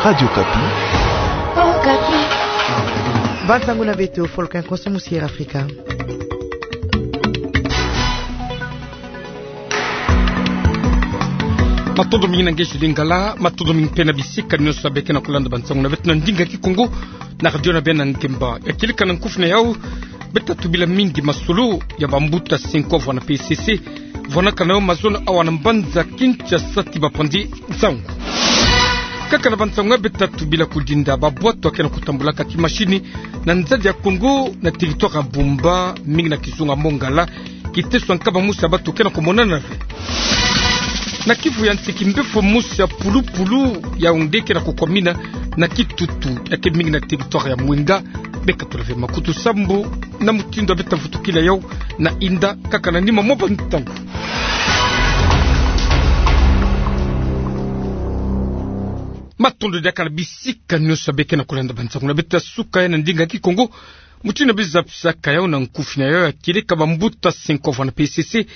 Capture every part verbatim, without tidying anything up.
Radio Okapi. Okapi. Bansangu na beto, foloki'â konso musi Air Afrika. Matondo mingi na nge Jules Lingala, matondo mingi mpe na bisika nyonso ya beke na kulanda bansangu na beto na ndinga Kikongo, na radio na beno na ngemba. Ya kieleka na nkufi na yau, beta tubila mingi masolo ya bambuta cinq ans vwanda P C C, vwanakana yo mazono awa na mbanza Kinshasa ti bapanzi nsangu. Kaka na bansangu ya beta tubila kudinda babwatu ya ke na kutambulaka kimashini na nzadi ya Kongo na territoire ya Bumba, mingi na kizunga Mongala, kiteso ya nkaba mosi ya bato ke na kumonana ve. Na kivu ya nsi, kimbefo mosi ya pulupulu ya onde ke na kukwamina na kitutu ya ke mingi na territoire ya Mwenga. Beka tulave makutu sambu na mutindu ya beta vutukila yau na inda kaka na nima mwa bantangu. Matondo diaka na bisika nyonso ya beke na kulanda bansangu na beto ya suka ya na ndinga Kikongo. Mutindu ya beno zabisaka yau na nkufi na yau, ya kieleka bambuta cinq ans vwanda P C C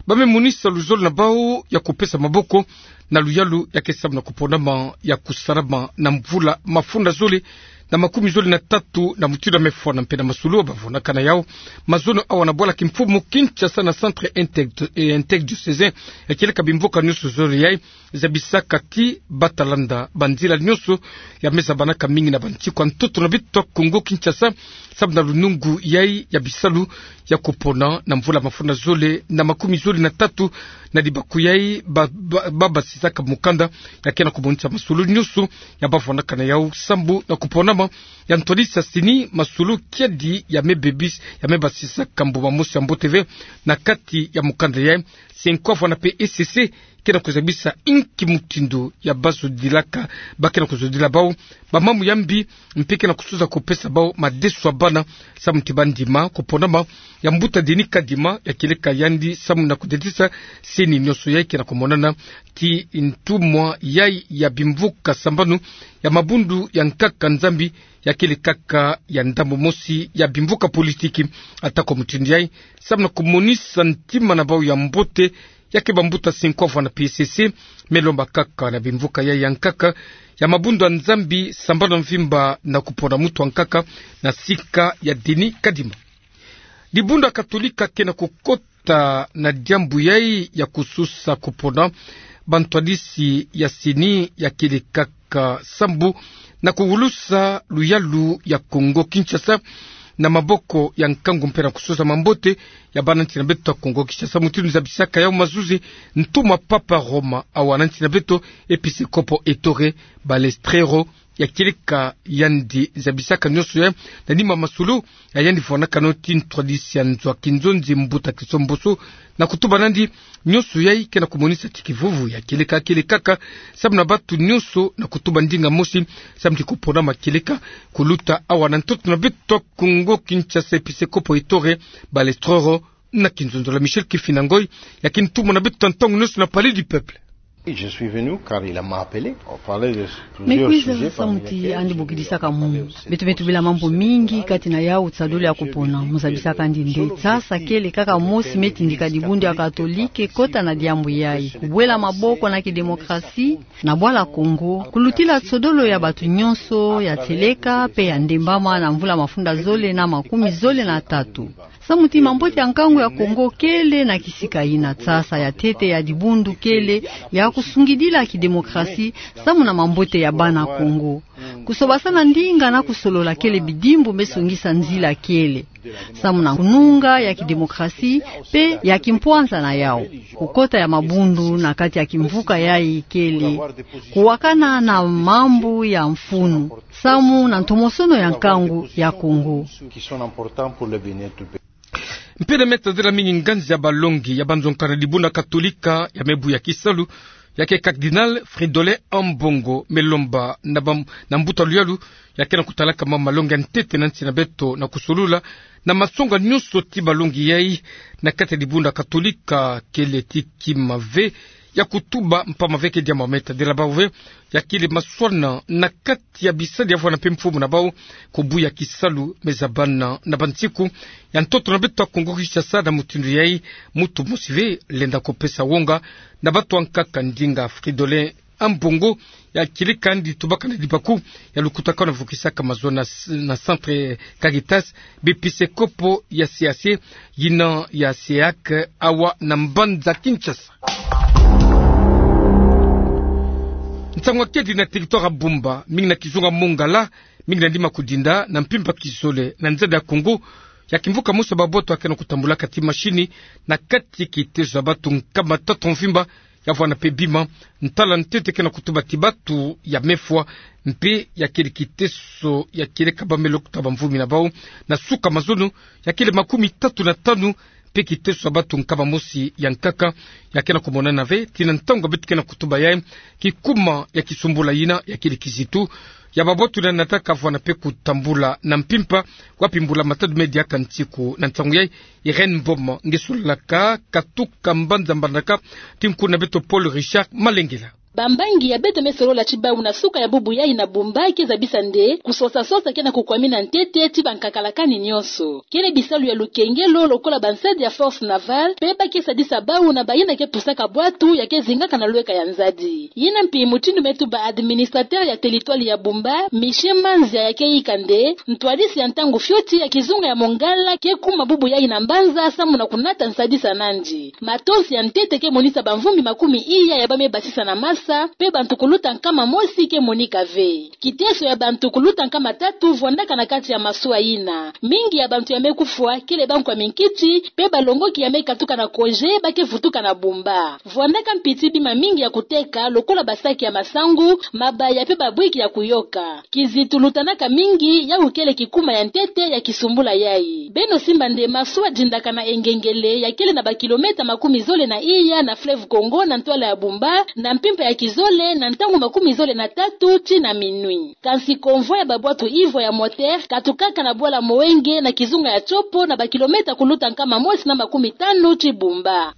ba me monisa luzolo na bau ya kupesa maboko na luyalu ya ke samu na kuponama ya kusalama na mvula mafunda zole na makumi zole na tatu, na mutindu ya me fwana mpe na masolo ba vwanakana yau mazono awa na bwala kimfumu Kinshasa na centre integ-, eh, interdiocésain ya kieleka bimvuka nyonso zole yai, zabisaka ti bata landa banzila nyonso ya me zabanaka mingi na bansiku ya ntoto na beto ya Kongo Kinshasa, samu na lunungu yai ya bisalu ya kupona na mvula mafunda zole na makumi zole na tatu, na libaku yai ba, ba, ba basisaka mukanda ya ke na kumonisa masolo nyonso ya ba vwanakana yau sambu na kuponama ya ntwadisi ya CENI, masolo kiadi ya me bebis-, ya me basisaka mbuma mosi ya mbote ve na kati ya mukanda yai. Cinq ans vwanda P C C ke na kuzabisa inki mutindu ya bazodilaka, ba ke na kuzodila bau bamambu ya mbi, mpe ke na kusuza kupesa bau madeso ya bana, samu ti ba ndima kuponama ya mbuta Denis Kadima, ya kieleka yandi samu na kudetisa CENI. Nyonso yai ke na kumonana ti ntumwa yai ya bimvuka sambanu ya mabundu ya nkaka Nzambi, ya kele kaka ya ndambu mosi ya bimvuka politiki. Atako mutindu yai, samu na kumonisa ntima na bau ya mbote, ya ke bambuta cinq ans vwanda P C C me lomba kaka na bimvuka yai ya nkaka ya mabundu ya Nzambi sambanu ya mvimba na kupona mutu ya nkaka na sika ya Denis Kadima. Dibundu ya Katolika ke na kukota na diambu yai ya kususa kupona bantwadisi ya CENI, ya kele kaka sambu na kuwulusa luyalu ya Kongo Kinshasa na maboko ya nkangu mpe na kususa mambote ya bana nsi na beto ya Kongo Kinshasa. Mutindu zabisaka yau mazuzi ntumwa Papa Roma awa na nsi na beto, episkopo Ettore Balestrero, ya kieleka yandi zabisaka nyonso yai na nima masolo ya yandi vwanakana yo ti ntwadisi ya nzo ya kinzonzi, mbuta Christo Mboso, na kutuba nandi nyonso yai ke na kumonisa ti kivuvu ya kieleka, kele kaka samu na batu nyonso na kutuba ndinga mosi, samu ti kuponama kieleka kuluta awa na ntoto na beto ya Kongo Kinshasa, episkopo Ettore Balestrero. Na kinzonzolo ya Michel Kifina Ngoy, ya ke ntumwa na beto ya ntangu nyonso na Palais du Peuple. Oui, je suis venu car il m'a appelé. On parlait de plusieurs sujets. Me kwiza samu ti yandi bokidisaka munu. Beto me tubila mambu mingi, kati na yau tisadulu ya kupona. Mu zabisaka yandi nde, sasa kele kaka mosi me tindika dibundu ya Katolika kota na diambu yai: kubwela maboko na kidemokrasi na bwala Kongo, kulutila tisadulu ya batu nyonso ya tieleka mpe ya ndembama na mvula mafunda zole na makumi zole na tatu. Samu ti mambote ya nkangu ya Kongo kele na kisika ina, sasa ya ntete ya dibundu kele ya kusungidila kidemokrasi samu na mambote ya bana Kongo. Kusobasana ndinga na kusolola kele bidimbu me songisa nzila kele samu na kununga ya kidemokrasi mpe ya kimpwanza na yau. Kukota ya mabundu na kati ya kimvuka yai kele kuwakana na mambu ya mfunu samu na ntomosono ya nkangu ya Kongo. Mpe na me tadila mingi, nganzi ya balongi ya banzonka na dibundu ya Katolika ya me buya kisalu, ya ke Cardinal Fridolin Ambongo, me lomba na bam-, na mbuta luyalu ya ke na kutalaka ma malongi ya ntete na nsi na beto na kusolula na masonga nyonso ti balongi yai na kati ya dibundu ya Katolika, kele ti kima ve ya kutuba mpamba ve ke diambu me tadila bau ve, ya kele maswana na kati ya bisadi ya vwanda mpe mfumu na bau, kubuya kisalu me zabana na bansiku ya ntoto na beto ya Kongo Kinshasa. Na mutindu yai, mutu mosi ve lenda kupesa wonga na batu ya nkaka ndinga Fridolin Ambongo, ya kieleka ndi tubaka na dibaku ya lukutakanu vukisaka mazono na, na Centre Caritas, biepisekopo ya C A C, yina ya C E A C, awa na mbanza Kinshasa. Nsangu akedi na territoire ya Bumba, mingi na kizunga Mongala, mingi na ndima kudinda na mpimpa kizole na nzadi ya Kongo, ya kimvuka mosi ya babwato ya kena kutambulaka ti mashini na kati kitezo ya batu nkama tatu mvimba, ya vwanda mpe bima, ntala ntete kena kutuba ti batu ya mefwa, mpe ya kele kiteso ya kieleka bamelo kuta bamvumi na bau, na suka mazono, ya kele makumi tatu na tanu, mpe kiteso ya batu nkama mosi ya nkaka, ya kena kumonana ve, ti na ntangu beto kena kutuba yayi, kikuma ya kisumbula yina, ya kele kizitu, ya babwato yina nataka vwanda mpe kutambula na mpimpa, wapi mbula matadi me diaka nsiku. Na nsangu yayi, Irène Mboma nge solelaka katuka mbanza Mbandaka, ti nkuna beto Paul Richard Malengela. Bambangi ya beto me solola ti bau na suka ya bubu yayi na Bumba ke zabisa nde kusosa-sosa kena kukwamina ntete ti bankakalakani nyonso. Kele bisalu ya lukengelo lokola bansadi ya Force Navale, mpe ba ke sadisa bau na bayina ke pusaka bwatu ya ke zingaka na lweka ya nzadi. Yina mpi mutindu me tuba administrateur ya territoire ya Bumba, Michel Manzia, ya ke yika nde ntwadisi ya ntangu fioti ya kizunga ya Mongala ke kuma bubu yayi na mbanza samu na kunata nsadisa nandi. Matonsi ya ntete ke monisa bamvumi makumi iya ya ba me basisa na masa, mpe bantu kuluta nkama mosi ke monika ve. Kiteso ya bantu kuluta nkama tatu vwandaka na kati ya masuwa yina. Mingi ya bantu ya me kufwa kele bankwa minkiti, mpe balongoki ya me katuka na congé ba ke vutuka na Bumba. Vwandaka mpi ti bima mingi ya kuteka, lokola basaki ya masangu, mabaya mpe babwiki ya kuyoka. Kizitu lutanaka mingi, yawu kele kikuma ya ntete ya kisumbula yayi. Beno simba nde masuwa dindaka na Engengele, ya kele na bakilomètre makumi zole na iya na fleuve Congo na ntwala ya Bumba, na mpimpa ya kizole, na ntangu makumi zole na tatu tii na minuit. Kansi convoi ya babwatu ivwa ya moteur katukaka na bwala Moenge na kizunga ya Tshopo, na bakilomètre kuluta nkama mosi na makumi tanu tii Bumba.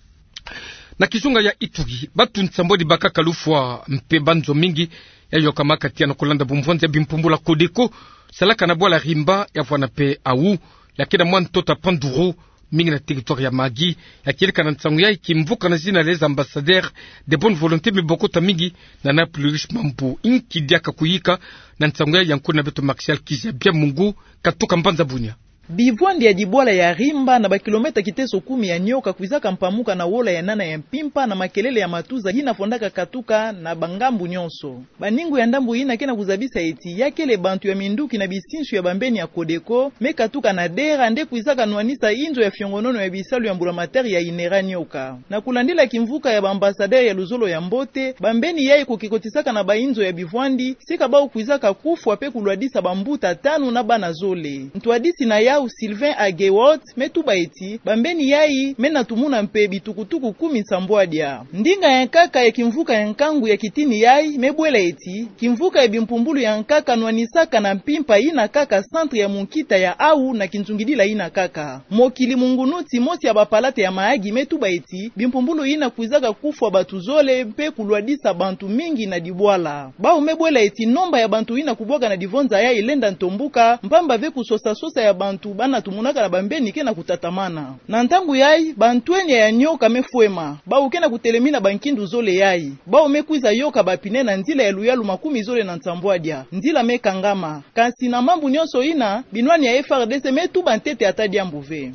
Na kizunga ya Ituri, batu nsambwadi bakaka lufwa mpe banzo mingi ya yokamaka tiya na kulanda bumvwanzi ya bimpumbulu ya Codeco salaka na bwala Rimba, ya vwanda mpe awu, ya kena mwa ntoto ya Panduru, mingi na territoire ya Mahagi. Ya kieleka na nsangu yayi kimvuka na zina les ambassadeurs de bonne volonté me bokota mingi na Ana Plurish Mambu. Inki diaka kuyika na nsangu yayi? Ya nkuna beto Martial Kizabia Mungu, katuka mbanza Bunia. Bivwandi ya dibwala ya Rimba na bakilomètre kiteso kumi ya nioka kwizaka mpamuka na wola ya nana ya mpimpa na makelele ya matuza yina fondaka katuka na bangambu nyonso. Baningu ya ndambu yina kena kuzabisa eti ya kele bantu ya minduki na bisinsu ya bambeni ya Codeco me katuka na dera nde kwizaka nwanisa inzo ya fiongonono ya bisalu ya mbulamatari ya INERA nioka. Na kulandila kimvuka ya ba ambassadeurs ya luzolo ya mbote, bambeni yayi kukikotisaka na bainzo ya bivwandi, sika bau kwizaka kufwa mpe kulwadisa bambuta tanu na bana zole. Ntwadisi na yau Sylvain Agewot me tuba eti bambeni yayi me na tumuna mpe bitukutuku kumi nsambwadia. Ndinga ya nkaka ya kimvuka ya nkangu ya kitini yayi me bwela eti kimvuka ya bimpumbulu ya nkaka nwanisaka na mpimpa yina kaka centre ya munkita ya awu na kinzungidila yina kaka. Mokili Mungunu, timosi ya bapalate ya Mahagi, me tuba eti bimpumbulu yina kwizaka kufwa batu zole mpe kulwadisa bantu mingi na dibwala. Bau me bwela eti nomba ya bantu yina kubwaka na divonza yayi lenda ntombuka, mpamba ve kusosa-sosa ya bantu bana tumunaka na bambeni kena kutatamana. Na ntangu yayi, bantwenia ya nioka me fwema. Bau kena kutelemina bankindu zole yayi. Bau me kwiza yoka bapine na nzila ya luyalu makumi zole na nsambwadia. Nzila me kangama. Kansi na mambu nyonso yina, binwani ya FRDC me tuba ntete ata diambu ve.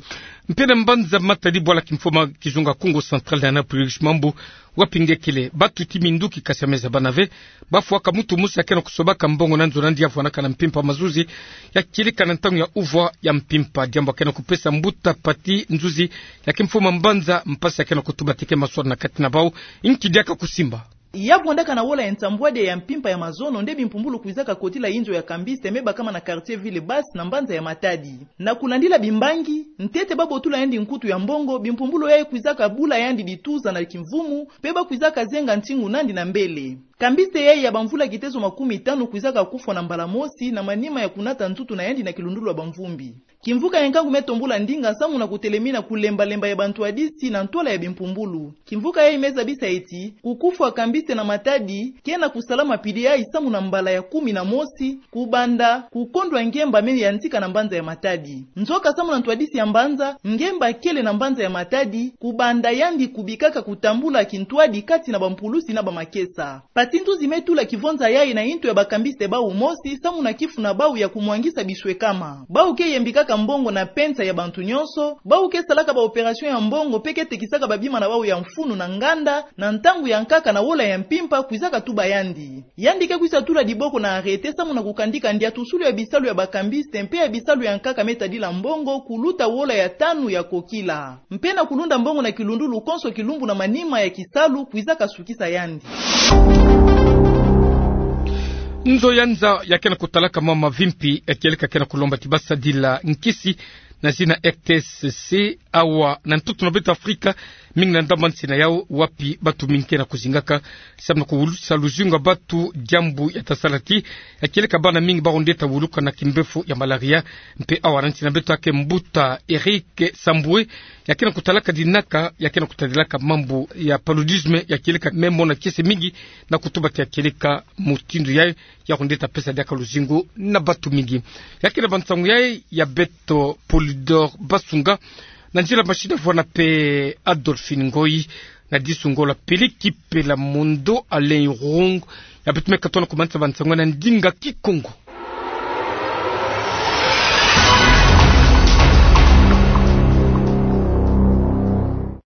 Mpe na mbanza Matadi, bwala kimfoma kizunga Kongo Central na Ana Plurish Mambu, wapi nge kele, batu ti minduki kasi ya me zabana ve, bafwaka mutu mosi ya kena kusobaka mbongo na nzo na ndia vwanaka na mpimpa mazuzi, ya kieleka na ntangu ya uvwa ya mpimpa, diambu ya kena kupesa mbuta pati nzuzi ya kimfoma mbanza mpasi ya kena kutuba ti ke maswala na kati na bau. Inki diaka kusimba? Ya vwandaka na wola ya nsambwadia ya mpimpa ya mazono nde bimpumbulu kwizaka kotila inzo ya kambiste me bakama na quartier Ville Basse na mbanza ya Matadi. Na kulandila bimbangi, ntete babotula yandi nkutu ya mbongo, bimpumbulu yayi kwizaka bula yandi bituza na kimvumu, mpe bakwizaka zenga ntingu nandi na mbele. Kambiste yayi ya bamvula kitezo makumi tanu kwizaka kufwa na mbala mosi na manima ya kunata ntutu na yandi na kilundulu ya bamvumbi. Kimvuka ya nkangu me tombula ndinga samu na kutelemina kulemba-lemba ya bantwadisi na ntwala ya bimpumbulu. Kimvuka yayi me zabisa eti kukufwa kambiste na Matadi kena kusalama pili yayi samu na mbala ya kumi na mosi, kubanda kukondwa ngemba me yantika na mbanza ya Matadi. Nzoka samu na ntwadisi ya mbanza, ngemba kele na mbanza ya Matadi, kubanda yandi kubikaka kutambula kintwadi kati na bampulusi na bamakesa. Kasi ntuzi me tula kivonza yayi na intu ya bakambiste bau mosi, samu na kifuna bau ya kumwangisa biswekama. Bau ke yembikaka mbongo na pensa ya bantu nyonso, bau ke salaka ba opération ya mbongo mpe ke tekisaka babima na bau ya mfunu na nganda, na ntangu ya nkaka na wola ya mpimpa, kwizaka tuba yandi. Yandi ke kwisa tula diboko na arrêté samu na kukandika ndiatusulu ya bisalu ya bakambiste mpe ya bisalu ya nkaka me tadila mbongo, kuluta wola ya tanu ya kokila. Mpe na kulunda mbongo na kilundulu konso kilumbu na manima ya kisalu kwizaka sukisa yandi. Nzo ya nza ya ke na kutalaka mama mavimpi ya kieleka ke na kulomba ti ba sadila nkisi na zina R T S C awa na ntoto na beto Afrika, mingi na ndambu nsina yau wapi batu mingi ke na kuzingaka, samu na kuwulusa luzingu ya batu, diambu ya ta sala ti ya kieleka bana mingi ba rondeta wuluka na kimbefu ya malaria. Mpe awa na nsi na beto ake mbuta Eric Sambwe, ya ke na kutalaka dinaka, ya ke na kutadilaka mambu ya paludisme, ya kieleka me mona kiese mingi na kutuba ti ya kieleka mutindu yayi ya rondeta pesa diaka luzingu na batu mingi. Ya ke na bansangu yayi ya beto Polydor Basunga, na nzila mashini vwanda mpe Adolphine Ngoyi, na disunga la Peleki Pela Mondo Alain Rung. Ya beto me katono kumanisa bansangu na ndinga Kikongo.